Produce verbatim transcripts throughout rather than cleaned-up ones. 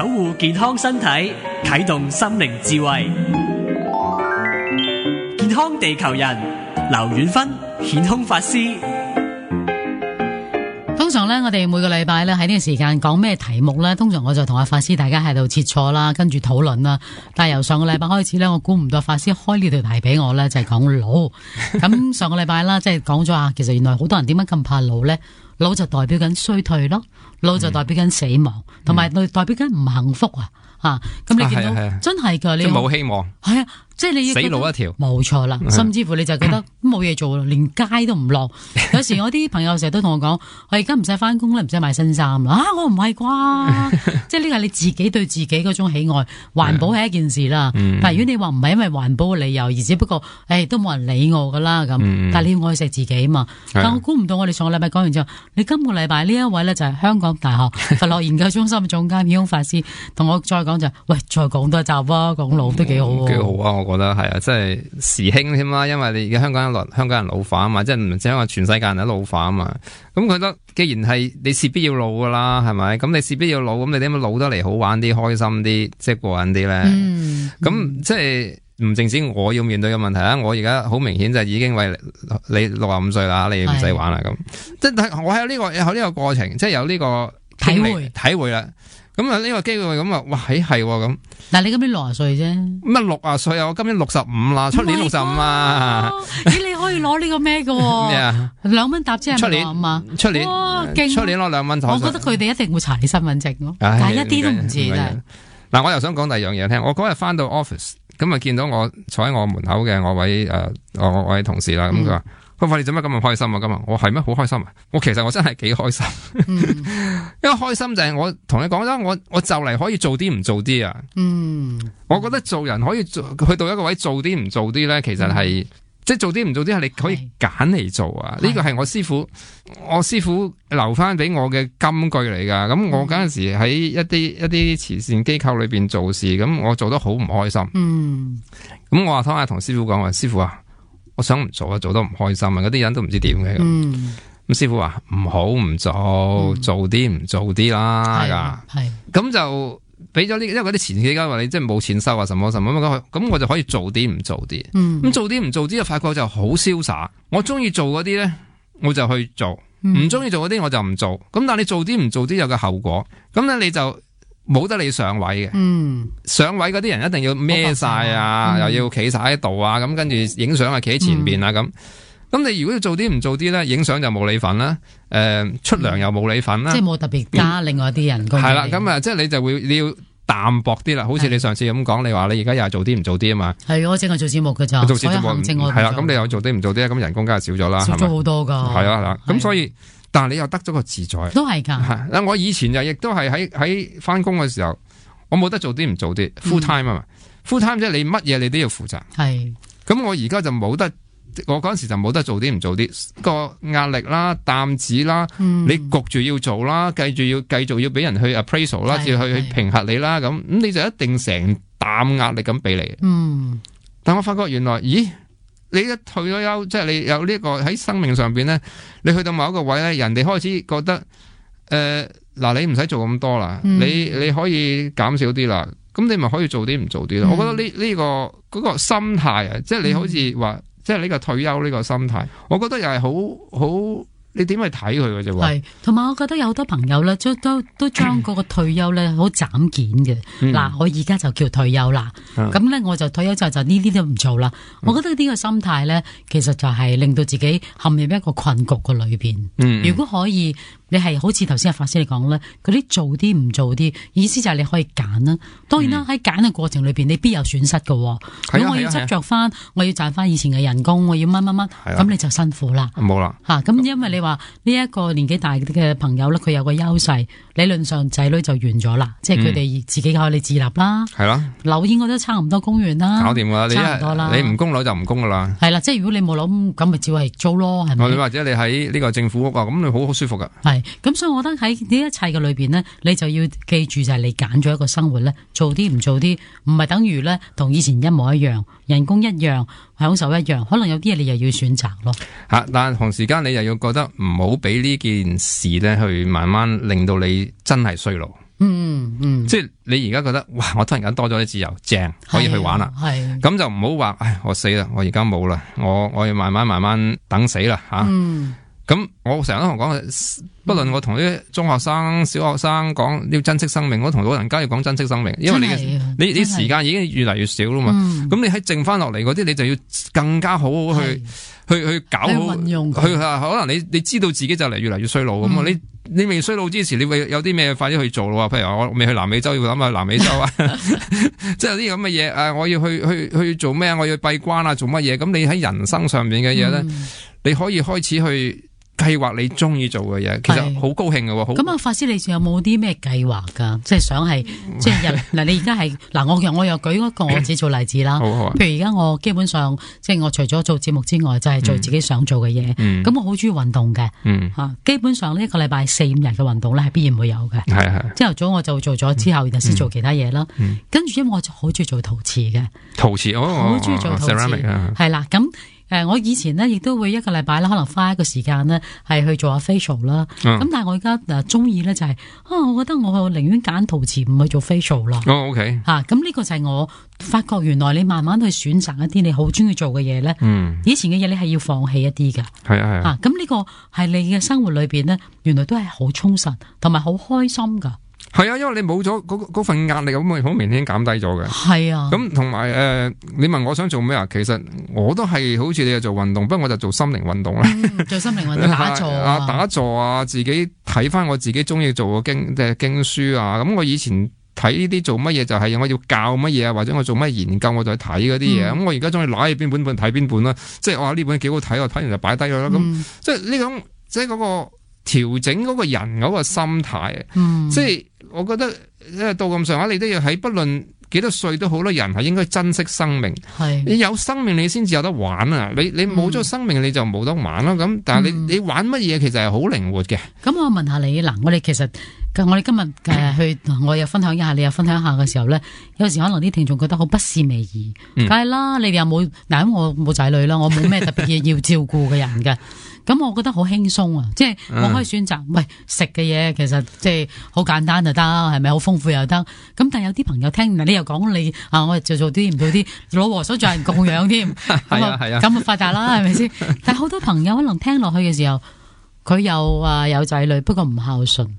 守護健康身體，啟動心靈智慧。健康地球人，劉遠芬顯空法師。通常咧，我哋每個禮拜咧喺呢個時間講咩題目咧？通常我就同阿法師大家喺度切磋啦，跟住討論啦。但係由上個禮拜開始咧，我估唔到法師開呢條題俾我咧，就係講老。咁上個禮拜啦，即係講咗啊，其實原來好多人點解咁怕老咧？老就代表緊衰退咯，老就代表緊死亡，同埋代表緊唔幸福啊！啊，咁你見到、啊啊、真係噶，你冇希望，係啊，即係你死路一條，冇錯啦。甚至乎你就覺得冇嘢做，連街都唔落。有時我啲朋友成日都同我講，我而家唔使翻工咧，唔使買新衫啦。啊，我唔係啩？即係呢個係你自己對自己嗰種喜愛，環保係一件事啦。嗯、但係如果你話唔係因為環保嘅理由，而只不過誒、哎、都冇人理我噶啦咁。嗯、但係你要愛惜自己嘛。嗯、但我估唔到我哋上個禮拜講完之後，你今個禮拜呢一位咧就係香港大學佛學研究中心嘅總監顯空法師，同我再講就係、喂，再講多一集啊，講老都幾好喎。幾好啊，我覺得係啊，即係時興添啦，因為你而家香港人老香港人老化啊嘛，即係唔止香港全世界人都老化啊嘛。咁佢覺得既然係你勢必要老噶啦，係咪？咁你勢必要老，咁你點解老得嚟好玩啲、開心啲、即係過癮啲咧？咁、嗯嗯、即係唔淨止我要面對嘅問題啦。我而家好明顯就已經為你六十五歲啦，你唔使玩啦咁。即係我喺呢個有呢個過程，即係有呢個體會體會啦。咁啊呢個機會咁啊，哇，係係咁。嗱，你今年六十歲啫。乜六啊歲啊？我今年六十五啦，出年六十五啊。咦，你可以攞呢個咩嘅？咩啊？兩蚊搭車係咪啊嘛？出年，出年攞兩蚊。我覺得佢哋一定會查你身份證咯，但係一啲都唔知真係。嗱，我又想講第二樣嘢聽。我嗰日翻到 office，咁啊見到我坐喺我門口嘅我位誒，我我位同事啦，咁佢話。佢話你做乜咁咁開心啊？今日我係咩好開心啊？我其實我真係幾開心，嗯、因為開心就係我同你講啦，我我就嚟可以做啲唔做啲啊。嗯，我覺得做人可以做去到一個位做啲唔做啲咧，其實係、嗯、即係做啲唔做啲係你可以揀嚟做啊。呢個係我師傅我師傅留翻俾我嘅金句嚟噶。咁我嗰陣時喺一啲一啲慈善機構裏邊做事，咁我做得好唔開心。嗯，咁我話當下同師傅講話，師傅啊。我想唔做啊，做得唔開心啊，嗰啲人都唔知點嘅咁。咁、嗯、師傅話唔好唔做，嗯、做啲唔做啲啦。係咁就俾咗呢，因為嗰啲前幾間話你即係冇錢收啊，什麼什麼咁，咁我就可以做啲唔做啲。咁、嗯、做啲唔做啲就發覺就好瀟灑。我中意做嗰啲咧，我就去做；唔中意做嗰啲我就唔做。咁但係你做啲唔做啲有個後果，咁咧你就。冇得你上位嘅，嗯、上位嗰啲人一定要孭晒啊，嗯、又要企晒喺度啊，咁跟住影相啊，企喺前邊啊，咁咁、嗯、你如果要做啲唔做啲咧，影相就冇你份啦，誒、呃、出糧又冇你份啦，即係冇特別加另外啲人工。係啦、嗯，咁啊，即係你就會你要淡薄啲啦，好似你上次咁講，你話你而家又係做啲唔做啲啊嘛。係我淨係做節目嘅咋，做節目係啦，咁你又做啲唔做啲，咁人工梗係少咗啦，少咗好多噶。係啊，咁所以。但係你又得咗個自在，都係噶。嗱，我以前就亦都係喺喺翻工嘅時候，我冇得做啲唔做啲 full time 啊嘛、嗯、，full time 即係你乜嘢你都要負責。係，咁我而家就冇得，我嗰陣時就冇得做啲唔做啲，個壓力啦、擔子啦，嗯、你焗住要做啦，繼續要繼續要俾人去 appraisal 啦，要去去評核你啦，咁咁你就一定成擔壓力咁俾你。嗯，但我發覺原來，咦？你一退咗休，即係你有呢、這個喺生命上邊咧，你去到某一個位咧，人哋開始覺得，誒、呃，嗱，你唔使做咁多啦、嗯，你你可以減少啲啦，咁你咪可以做啲唔做啲咯、嗯。我覺得呢、這、呢個嗰、這個心態啊，即係你好似話，嗯、即係呢個退休呢個心態，我覺得又係好好。你點去睇佢嘅啫？係，同埋我覺得有好多朋友咧，都都都將嗰個退休咧好斬件嘅。嗱、嗯，我而家就叫退休啦。咁、嗯、咧，我就退休之後就呢啲都唔做啦、嗯。我覺得呢個心態咧，其實就係令到自己陷入一個困局嘅裏邊。嗯，如果可以，你係好似頭先阿法師你講咧，嗰啲做啲唔做啲，意思就係你可以揀啦。當然啦，喺揀嘅過程裏邊，你必有損失嘅。如果我要執着翻，我要賺翻以前嘅人工，我要乜乜乜，咁你就辛苦啦。冇啦，吓咁、啊，因為你話呢一個年紀大嘅朋友咧，佢有個優勢，理論上仔女就完咗啦，即係佢哋自己可以自立啦。係啦，樓應該都差唔多供完啦，搞掂啦，差唔多啦。你唔供樓就唔供噶啦。係啦，即係如果你冇樓咁，咪照係租咯，係咪？或者你喺呢個政府屋啊，咁你好好舒服噶。係，咁所以我覺得喺呢一切嘅裏邊呢，你就要記住就係你揀咗一個生活咧，做啲唔做啲，唔係等於咧同以前一模一樣，人工一樣，享受一樣，可能有啲嘢你又要選擇咯。吓，但係同時間你又要覺得唔好俾呢件事咧去慢慢令到你真係衰老。嗯嗯，即係你而家覺得哇，我突然間多咗啲自由，正可以去玩啦。係咁就唔好話，唉，我死啦，我而家冇啦，我我要慢慢慢慢等死啦吓。嗯咁我成日都同講，不論我同啲中學生、小學生講要珍惜生命，我同老人家要講珍惜生命，因為你嘅你你時間已經越嚟越少啦嘛。咁、嗯、你喺剩翻落嚟嗰啲，你就要更加好好去去去搞好，去可能你你知道自己就嚟越嚟越衰老咁啊！你你未衰老之前，你會有啲咩快啲去做咯？譬如我未去南美洲，要諗下南美洲啊，即係有啲咁嘅嘢誒，我要去去去做咩？我要閉關啊，做乜嘢？咁你喺人生上面嘅嘢咧，嗯、你可以開始去計劃你中意做嘅嘢，其實好高興嘅喎。咁啊，法師，你仲有冇啲咩計劃噶？即係想係，即係嗱，你而家係嗱，我又我又舉一個我自己做例子啦。好好啊、譬如而家我基本上，即係我除咗做節目之外，就係、是、做自己想做嘅嘢。咁、嗯、我好中意運動嘅。吓、嗯，基本上呢一個禮拜四五日嘅運動咧，係必然會有嘅。係係。朝頭早我就做咗之後，然後先做其他嘢啦。嗯嗯、跟住因為我就好中意做陶瓷嘅。陶瓷，我好中意做陶瓷。係啦，咁。誒、呃，我以前咧亦都會一個禮拜咧，可能花一個時間咧，係去做下 facial 啦。咁、嗯、但係我而家誒中意咧就係、是、啊，我覺得我寧願揀陶瓷唔去做 facial 啦。哦，OK。吓、啊，咁呢個就係我發覺原來你慢慢去選擇一啲你好中意做嘅嘢咧。嗯。以前嘅嘢你係要放棄一啲㗎。係啊係啊。吓，咁呢個係你嘅生活裏邊咧，原來都係好充實同埋好開心㗎。係啊，因為你冇咗嗰份壓力，咁咪好明顯減低咗嘅。係啊，咁同埋誒，你問我想做咩啊？其實我都係好似你做運動，不過我就做心靈運動啦、嗯。做心靈運動，打坐啊，打坐啊，自己睇翻我自己中意做嘅經即係經書啊。咁我以前睇呢啲做乜嘢就係我要教乜嘢啊，或者我做乜研究我就去睇嗰啲嘢。咁、嗯、我而家中意攞起邊本本睇邊本啦。即係我話呢本幾好睇，我睇完就擺低咗啦。咁、嗯、即係呢種即係嗰個調整嗰個人嗰個心態，嗯、即係。我覺得到咁上下，你都要喺不論幾多歲都好多人係應該珍惜生命。係你有生命，你先至有得玩啊！你你冇咗生命，你就冇得玩咯。咁、嗯、但係你你玩乜嘢，其實係好靈活嘅。咁、嗯、我問下你嗱，我哋其實我哋今日誒去，我又分享一下，你又分享一下嘅時候咧，有時可能啲聽眾覺得好不是味兒，梗係啦。你哋又冇嗱，我冇仔女啦，我冇咩特別嘢要照顧嘅人嘅。咁我覺得好輕鬆啊，即係我可以選擇，喂，食嘅嘢其實即係好簡單就得，係咪好豐富又得？咁但係有啲朋友聽，你又講你啊，我就做啲唔做啲老和尚做人供養添，係啊係啊，咁啊發達啦，係咪先？但係好多朋友可能聽落去嘅時候，佢又啊有仔女，不過唔孝順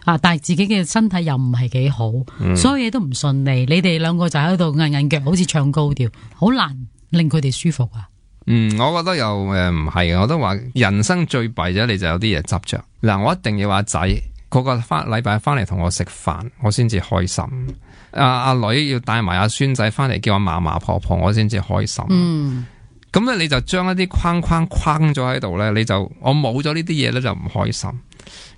啊，但係自己嘅身體又唔係幾好，嗯、所有嘢都唔順利。你哋兩個就喺度韌韌腳，好似唱高調，好難令佢哋舒服啊。嗯，我覺得又誒唔係，我都話人生最弊咗，你就有啲嘢執着。嗱，我一定要話仔嗰個翻禮拜翻嚟同我食飯，我先至開心。阿、啊、阿女要帶埋阿孫仔翻嚟叫我嫲嫲婆婆，我先至開心。嗯，咁咧你就將一啲框框框咗喺度咧，你就我冇咗呢啲嘢咧就唔開心。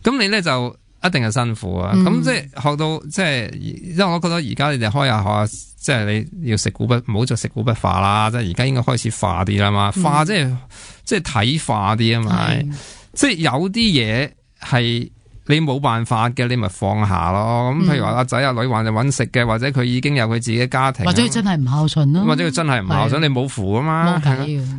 咁你咧就一定係辛苦啊。咁、嗯、即係學到即係，因為我覺得而家你哋開下學下。即係你要食古不唔好再食古不化啦，即係而家應該開始化啲啦嘛，化、嗯、即係即係睇化啲啊嘛，是即係有啲嘢係你冇辦法嘅，你咪放下咯。咁、嗯、譬如話阿仔阿女話就揾食嘅，或者佢已經有佢自己嘅家庭，或者佢真係唔孝順咯，或者佢真係唔孝順，你冇符啊嘛。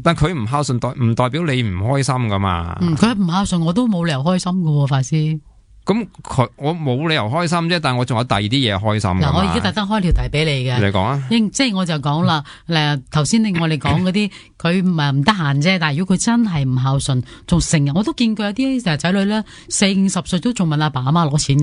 但佢唔孝順代唔代表你唔開心噶嘛？佢唔孝順，我都冇理由開心噶喎，法師。咁佢我冇理由開心啫，但係我仲有第二啲嘢開心。嗱，我已經特登開條題俾你嘅。你講啊，即係我就講啦。誒，頭先你我哋講嗰啲，佢唔係唔得閒啫。但係如果佢真係唔孝順，仲成日我都見過有啲誒仔女咧，四五十歲都仲問阿爸阿媽攞錢嘅，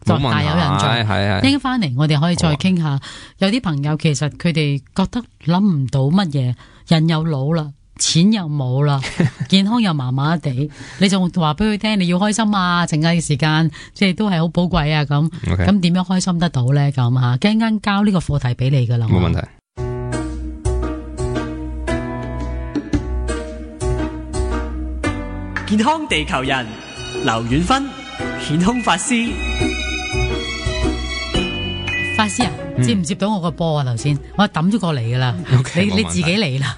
就大有人在。係係係。應翻嚟，我哋可以再傾下。有啲朋友其實佢哋覺得諗唔到乜嘢，人又老啦。錢又冇啦，健康又麻麻地，你就話俾佢聽，你要開心啊，剩嘅時間即係都係好寶貴啊，咁咁點樣開心得到咧？咁吓，陣間交呢個課題俾你噶啦，冇問題。健康地球人劉遠芬，顯空法師，法師啊，嗯、接唔接到我個波啊？頭先我抌咗過嚟噶啦，你你自己嚟啦。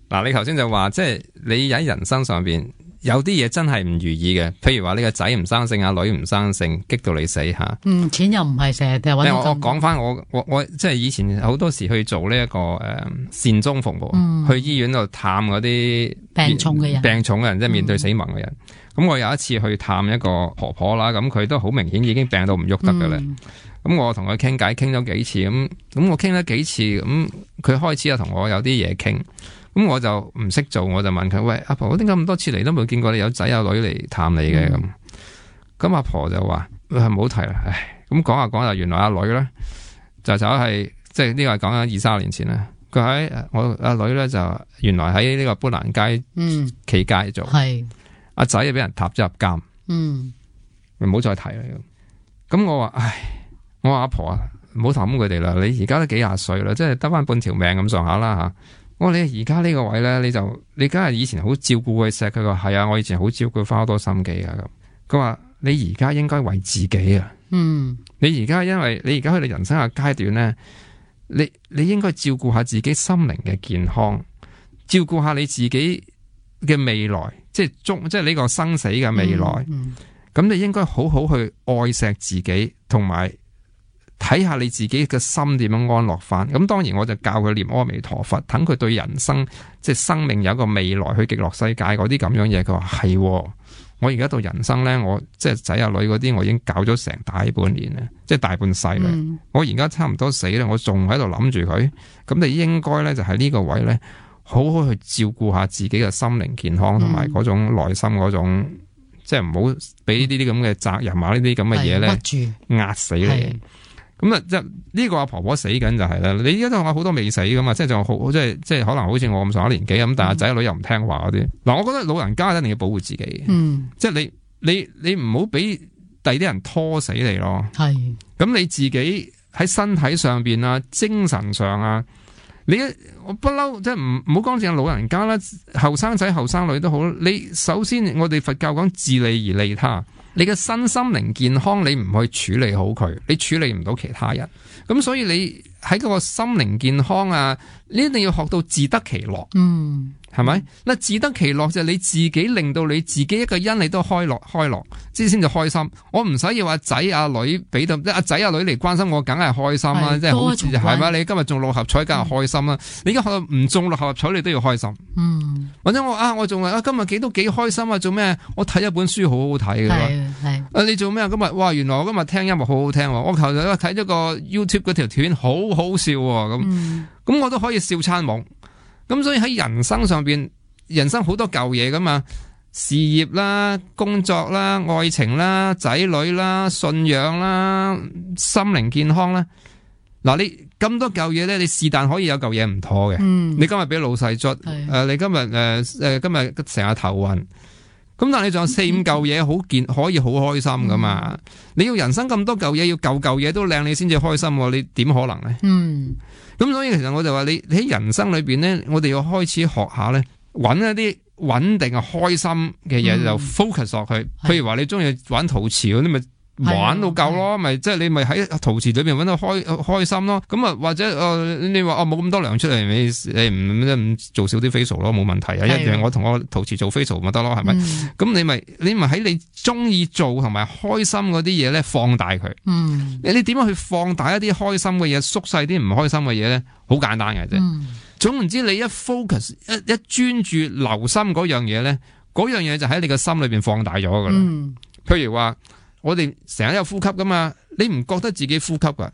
嗱，你頭先就話，即係你喺人生上邊有啲嘢真係唔如意嘅，譬如話你個仔唔生性，阿女唔生性，激到你死吓。嗯，錢又唔係成日搵。我我講翻我我我即係以前好多時去做呢、這、一個誒、呃、善終服務，嗯、去醫院度探嗰啲病重嘅人，病重嘅人即係面對死亡嘅人。咁、咁我有一次去探一個婆婆啦，咁佢都好明顯已經病到唔喐得㗎啦。咁、嗯、我同佢傾偈傾咗幾次，咁咁我傾咗幾次，咁佢開始又同我有啲嘢傾，咁我就唔識做，我就問佢：喂，阿婆，我點解咁多次嚟都冇見過你有仔有女嚟探你嘅？咁咁、嗯、阿婆就話：唔好提啦，唉，咁講下講下，原來阿女咧就就係即係呢個係講緊二三十年前啦。佢喺我阿女咧就原來喺呢個砵蘭街企街做，係阿仔就俾人踏咗入監，嗯，唔好再提啦。咁我話唉，我話阿婆啊，唔好氹佢哋啦。你而家都幾廿歲啦，即係得翻半條命咁上下啦吓。我話你而家呢個位咧，你就你梗係以前好照顧佢錫佢，話係啊，我以前好照顧，花好多心機啊咁。佢話你而家應該為自己啊，嗯，你而家因為你而家去到人生嘅階段咧。你你應該照顧下自己心靈嘅健康，照顧下你自己嘅未來，即係中即係呢個生死嘅未來。咁、嗯嗯、你應該好好去愛錫自己，同埋睇下你自己嘅心點樣安樂翻。咁當然我就教佢念阿彌陀佛，等佢對人生即係生命有一個未來去極樂世界嗰啲咁樣嘢。佢話係。我而家到人生咧，我即係仔啊女嗰啲，我已經搞咗成大半年啦，即係大半世啦。嗯、我而家差唔多死啦，我仲喺度諗住佢。咁你應該咧就喺呢個位咧，好好去照顧下自己嘅心靈健康，同埋嗰種內心嗰種，嗯、即係唔好俾呢啲咁嘅責任啊，呢啲咁嘅嘢咧壓死你。咁啊，即係呢個阿婆婆死緊就係啦。你而家都有好多未死噶嘛，即係就好，即係即係可能好似我咁上下年紀咁，但係仔女又唔聽話嗰啲。嗱、嗯，我覺得老人家一定要保護自己。嗯，即係你你你唔好俾第啲人拖死你咯。係。咁你自己喺身體上邊啊，精神上啊，你我不嬲，即係唔唔好講淨係老人家啦，後生仔後生女都好。你首先我哋佛教講自利而利他。你嘅身心靈健康，你唔去處理好佢，你處理唔到其他人。咁所以你喺嗰個心靈健康啊，你一定要學到自得其樂。嗯，係咪？嗱，自得其樂就係你自己令到你自己一個人你都開樂開樂，之先就開心。我唔使要阿仔阿女俾到，即係阿仔阿女嚟關心我，梗係開心啦。即係好似係咪？你今日中六合彩，梗係開心啦。嗯、你而家學到唔中六合彩，你都要開心。嗯，或者我啊，我仲話啊，今日幾都幾開心啊？做咩？我睇一本書好好睇嘅。係係。啊，你做咩啊？今日哇，原來我今日聽音樂好好聽。我頭日睇咗個 YouTube 嗰條片，好好笑咁。咁、嗯、我都可以笑餐懵。咁所以喺人生上邊，人生好多舊嘢噶嘛，事業啦、工作啦、愛情啦、仔女啦、信仰啦、心靈健康啦。嗱，你咁多舊嘢咧，你是但可以有舊嘢唔妥嘅。嗯、你今日俾老細捽，誒的、呃，你今日誒誒，今日成日頭暈，咁但係你仲有四五舊嘢好健，可以好開心噶嘛？嗯、你要人生咁多舊嘢，要舊舊嘢都靚，你先至開心，你點可能咧？嗯。咁所以其實我就話你喺人生裏邊咧，我哋要開始學下咧，揾一啲穩定嘅開心嘅嘢就 focus 落去。嗯、譬如話你中意玩陶瓷，你咪玩到夠咯，咪即係你咪喺陶瓷裏邊揾到開開心咯。咁啊或者誒、呃、你話哦冇咁多糧出嚟，你你唔唔做少啲 facial 咯，冇問題啊，的一樣我同我陶瓷做 facial 咪得咯，係咪？咁、嗯、你咪你咪喺你中意做同埋開心嗰啲嘢咧放大佢。嗯，你點樣去放大一啲開心嘅嘢，縮細啲唔開心嘅嘢咧？好簡單嘅啫。嗯、總言之，你一 focus 一一專注留心嗰樣嘢咧，嗰樣嘢就喺你個心裏邊放大咗噶啦。嗯、譬如話。我哋成日有呼吸噶嘛，你唔覺得自己呼吸噶？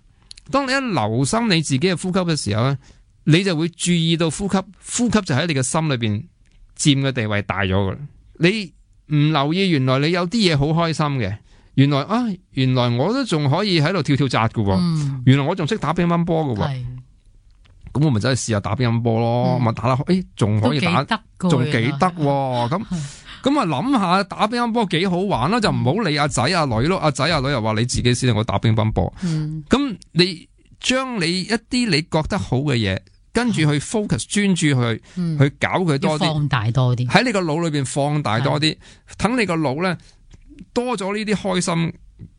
當你一留心你自己嘅呼吸嘅時候咧，你就會注意到呼吸，呼吸就喺你嘅心裏邊佔嘅地位大咗噶啦。你唔留意，原來你有啲嘢好開心嘅，原來啊，原來我都仲可以喺度跳跳紮噶，嗯、原來我仲識打乒乓波噶，咁是我咪走去試下打乒乓波咯，咪、嗯、打得，誒，仲可以打，仲幾得咁。咁啊諗下打乒乓波幾好玩啦，就唔好理阿仔阿女咯。阿仔阿女又話你自己先，我打乒乓波。咁、嗯、你將你一啲你覺得好嘅嘢，跟住去 focus 專注去、嗯、去搞佢多啲，放大多啲喺你個腦裏邊放大多啲，等你個腦咧多咗呢啲開心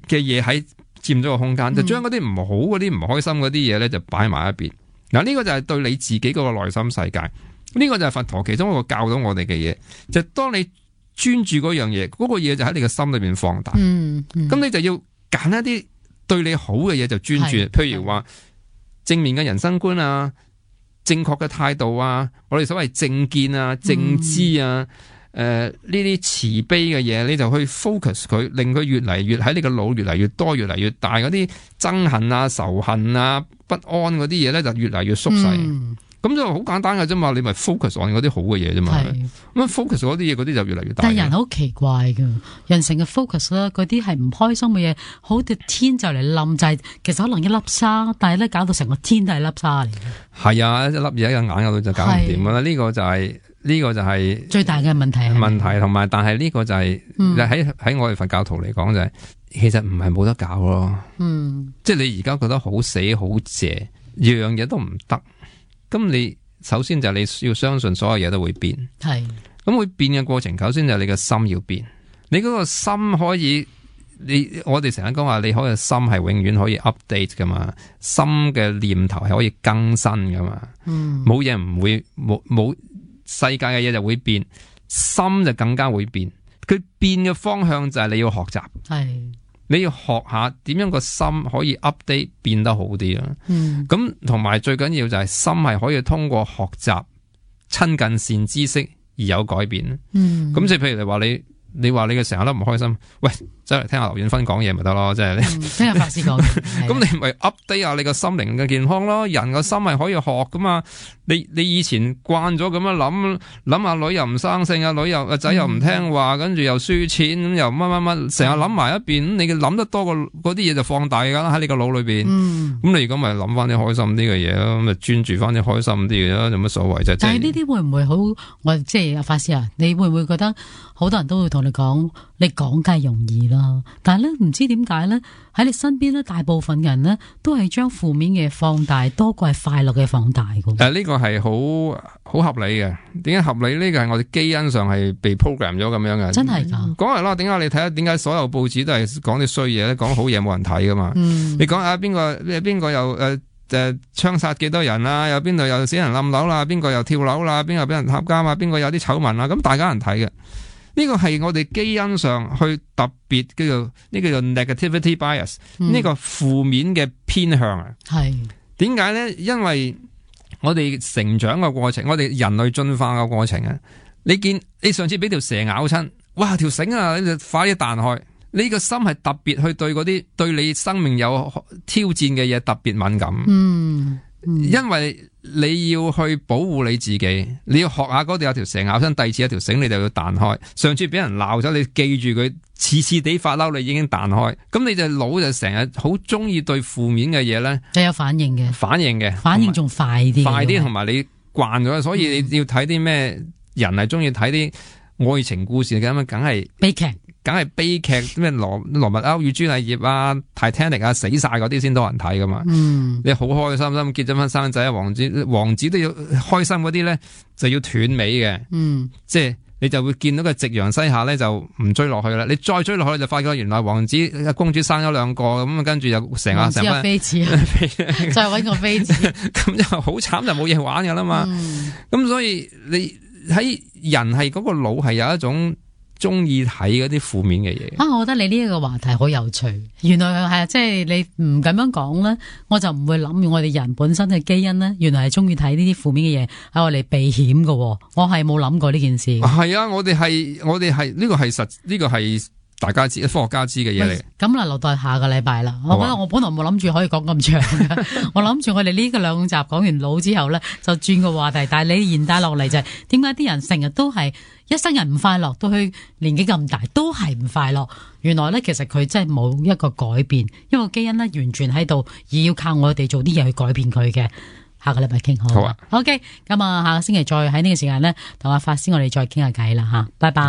嘅嘢喺佔咗個空間，嗯、就將嗰啲唔好嗰啲唔開心嗰啲嘢咧就擺埋一邊。嗱，呢個就係對你自己嗰個內心世界，呢、這個就係佛陀其中一個教到我哋嘅嘢，就係、當你專注嗰樣嘢，嗰、嗰個嘢就喺你嘅心裏邊放大。嗯，咁、嗯、你就要揀一啲對你好嘅嘢就專注，是譬如話正面嘅人生觀啊，正確嘅態度啊，我哋所謂正見啊、正知啊，誒、呢啲慈悲嘅嘢，你就去 focus 佢，令佢越嚟越喺你個腦越嚟越多，越嚟越大，嗰啲憎恨啊、仇恨啊、不安嗰啲嘢咧就越嚟越縮細。嗯咁就好簡單嘅啫嘛，你咪 focus on 嗰啲好嘅嘢啫嘛。咁 focus 嗰啲嘢，嗰啲就越嚟越大。但係人好奇怪噶，人成日 focus 啦，嗰啲係唔開心嘅嘢，好似天就嚟冧，就係其實可能一粒沙，但係咧搞到成個天都係粒沙嚟嘅。係啊，一粒嘢喺個眼嗰度就搞唔掂噶啦。呢個就係、是、呢、這個就係最大嘅問題。問題同埋，但係呢個就係喺喺我哋佛教徒嚟講就係、是，其實唔係冇得搞咯。嗯，即係你而家覺得好死好謝，樣嘢都唔得。咁你首先就係你要相信所有嘢都會變，係咁會變嘅過程。首先就係你個心要變，你嗰個心可以，你我哋成日講話，你可以心係永遠可以 update 噶嘛，心嘅念頭係可以更新噶嘛，嗯，冇嘢唔會冇冇世界嘅嘢就會變，心就更加會變。佢變嘅方向就係你要學習，係。你要學下點樣個心可以 update 變得好啲啦。咁同埋最緊要就係心係可以通過學習親近善知識而有改變。咁、嗯、即係譬如你話你你話你嘅成日都唔開心，喂，走嚟聽下劉遠芬講嘢咪得咯，即係你聽下法師講。咁你咪 update 下你個心靈嘅健康咯。人個心係可以學噶嘛。你你以前慣咗咁樣諗諗下女又唔生性，啊女又個仔又唔聽話，跟住又輸錢，咁又乜乜乜，成日諗埋一邊。你嘅諗得多過嗰啲嘢就放大噶啦喺你個腦裏邊。咁、嗯、你而家咪諗翻啲開心啲嘅嘢咯，咁咪專注翻啲開心啲嘅咯，有乜所謂啫？但係呢啲會唔會好？我即係阿法師啊，你會唔會覺得好多人都會同你講，你講梗係容易啦，但係咧唔知點解咧喺你身邊咧，大部分人咧都係將負面嘅放大多過係快樂嘅放大嘅。誒、啊，呢、這個係好好合理嘅。點解合理？呢、這個係我哋基因上係被 program 咗咁樣嘅。真係噶。講嚟啦，點解你睇下？點解所有報紙都係講啲衰嘢咧？講好嘢冇人睇噶嘛？嗯、你講下邊個邊個又誒誒槍殺幾多人啊？有邊度又死人冧樓啦？邊個又跳樓啦？邊個俾人探監啊？邊個有啲醜聞啊？咁大家人睇嘅。呢個係我哋基因上去特別叫做呢個叫做 negativity bias，呢、嗯、個負面嘅偏向啊。係點解咧？因為我哋成長嘅過程，我哋人類進化嘅過程啊。你見你上次俾條蛇咬親，哇條繩啊，你就快啲彈開。你個心係特別去對嗰啲對你生命有挑戰嘅嘢特別敏感。嗯。因為你要去保護你自己，你要學下嗰度有條蛇咬親，第二次有條繩你就要彈開。上次俾人鬧咗，你記住佢次次地發嬲，你已經彈開。咁你隻腦就成日好中意對負面嘅嘢咧，就有反應嘅，反應嘅，反應仲快啲，快啲，同埋你慣咗，所以你要睇啲咩人係中意睇啲愛情故事嘅咁啊，梗係悲劇。梗係悲劇，咩羅羅密歐與朱麗葉啊、Titanic 啊，死晒嗰啲先多人睇噶嘛。嗯，你好開心心結咗婚生仔啊，王子王子都要開心嗰啲咧，就要斷尾嘅。嗯，即係你就會見到個夕陽西下咧，就唔追落去啦。你再追落去就發覺原來王子公主生咗兩個咁，跟住又成啊成班妃子，再搵個妃子，咁就好慘，就冇嘢玩噶啦嘛。咁、嗯、所以你喺人係嗰個腦係有一種。中意睇嗰啲負面嘅嘢啊！我覺得你呢一個話題好有趣。原來係啊，即係你唔咁樣講咧，我就唔會諗我哋人本身嘅基因咧，原來係中意睇呢啲負面嘅嘢，係我哋避險嘅。我係冇諗過呢件事。係啊，我哋係我哋係呢個係實呢、呢個係大家知科學家知嘅嘢嚟。咁嗱，留待下個禮拜啦。我覺得我本來冇諗住可以講咁長嘅，我諗住我哋呢個兩集講完腦之後咧，就轉個話題。但係你現帶落嚟就係點解啲人成日都係一生人唔快樂，到去年紀咁大都係唔快樂。原來咧，其實佢真係冇一個改變，因為基因咧完全喺度，而要靠我哋做啲嘢去改變佢嘅。下個禮拜傾好。好啊。OK，咁啊，下個星期再喺呢個時間咧，同阿法師我哋再傾下偈啦吓，拜拜。